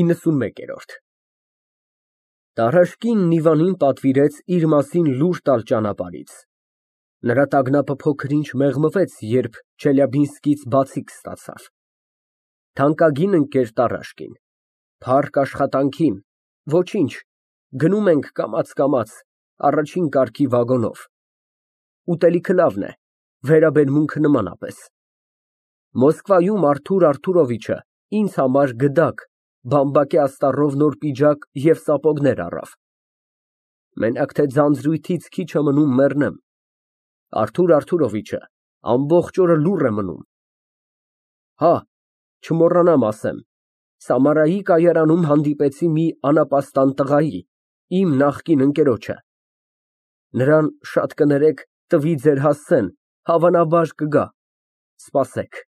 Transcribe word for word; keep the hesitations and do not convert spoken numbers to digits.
իննսունմեկերորդ Տարաշկինն Իվանին պատվիրեց իր մասին լուր տալ ճանապարհից, նրա տագնապը փոքր ինչ մեղմվեց, երբ Չելյաբինսկից բացիկ ստացավ։ Թանկագին ընկեր Տարաշկին, փառք աշխատանքին, ոչինչ, գնում ենք կամաց֊կամաց, առաջին կարգի վագոնով, ուտելիքը լավն է, վերաբերմունքը նմանապես։ Մոսկվայում Արթուր Արթուրովիչը ինձ համար գդակ, բամբակե աստառով նոր պիջակ և սապոգներ առավ։ Մենակ թե ձանձրույթից քիչ է մնում մեռնեմ, Արթուր Արթուրովիչը ամբողջ օրը լուռ է մնում։ Հա, չմոռանամ ասեմ, Սամարայի կայարանում հանդիպեցի մի անապաստան տղայի, իմ նախկին ընկերոջը, նրան շատ կներեք, տվի ձեր հասցեն, հավանաբար կգա, սպասեք։